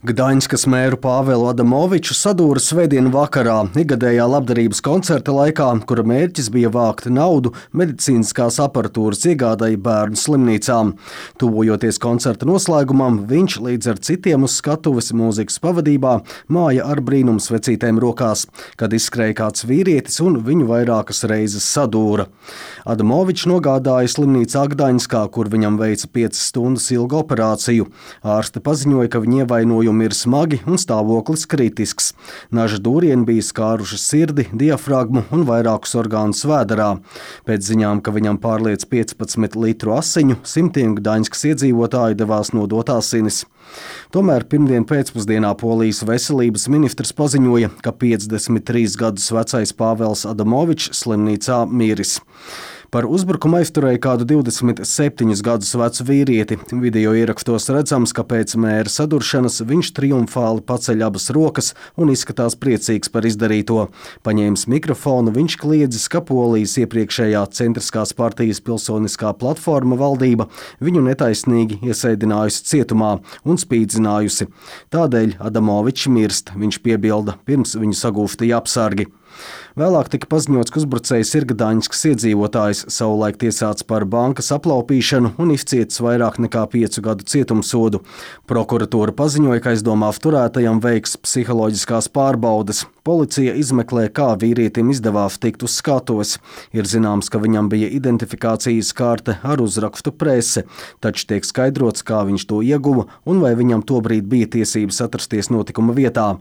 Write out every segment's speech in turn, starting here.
Gdaņskas mēru Pāvelu Adamoviču sadūra svētdienu vakarā ikgadējā labdarības koncerta laikā, kura mērķis bija vākt naudu medicīniskās aparatūras iegādai bērnu slimnīcām. Tuvojoties koncerta noslēgumam, viņš līdz ar citiem uz skatuves mūzikas pavadībā māja ar brīnumsvecītēm rokās, kad izskrēja kāds vīrietis un viņu vairākas reizes sadūra. Adamovičs nogādāja slimnīcā Gdaņskā, kur viņam veica 5 stundas ilgu operāciju. Ārste paziņoja, ka viņa ievainojumi ir smagi un stāvoklis kritisks. Naža dūrieni bija skāruši sirdi, diafragmu un vairākus orgānus vēderā. Pēc ziņām, ka viņam pārliec 15 litru asiņu, simtiem Gdaņskas iedzīvotāju devās nodot asinis. Tomēr pirmdien pēcpusdienā Polijas veselības ministrs paziņoja, ka 53 gadus vecais Pāvels Adamovičs slimnīcā miris. Par uzbrukumu aizturēja kādu 27 gadus vecu vīrieti. Video ierakstos redzams, ka pēc mēra saduršanas viņš triumfāli paceļ abas rokas un izskatās priecīgs par izdarīto. Paņēmis mikrofonu, viņš kliedzis, ka Polijas iepriekšējā centriskās partijas pilsoniskā platforma valdība viņu netaisnīgi iesēdinājusi cietumā un spīdzinājusi. Tādēļ Adamovičs mirst, viņš piebilda, pirms viņu sagūstīja apsargi. Vēlāk tika paziņots, ka uzbrucējs ir Gdaņskas iedzīvotājs, savulaik tiesāts par bankas aplaupīšanu un izcietis vairāk nekā 5 gadu cietumsodu. Prokuratūra paziņoja, ka aizdomās turētajam veiks psiholoģiskās pārbaudes. Policija izmeklē, kā vīrietim izdevās tikt uz skatuves. Ir zināms, ka viņam bija identifikācijas karte ar uzrakstu prese, taču tiek skaidrots, kā viņš to ieguva un vai viņam tobrīd bija tiesības atrasties notikuma vietā.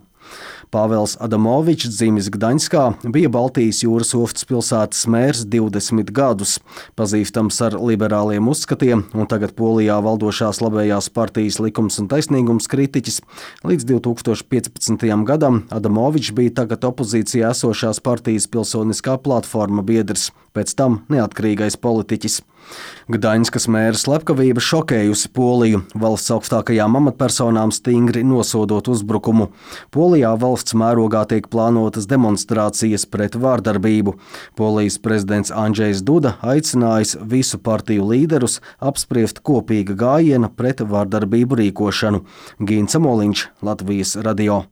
Pāvels Adamovičs, dzimis Gdaņskā, bija Baltijas jūras ostas pilsētas mērs 20 gadus. Pazīstams ar liberāliem uzskatiem un tagad Polijā valdošās labējās partijas Likums un taisnīgums kritiķis. Līdz 2015. gadam Adamovičs bija tagad opozīcijā esošās partijas pilsoniskā platforma biedrs, pēc tam neatkarīgais politiķis. Gdaņskas mēra slepkavība šokējusi Poliju, valsts augstākajām amatpersonām stingri nosodot uzbrukumu. Polijā valsts mērogā tiek plānotas demonstrācijas pret vārdarbību. Polijas prezidents Andžejs Duda aicinājis visu partiju līderus apspriest kopīga gājiena pret vārdarbību rīkošanu. Gīns Amoliņš, Latvijas radio.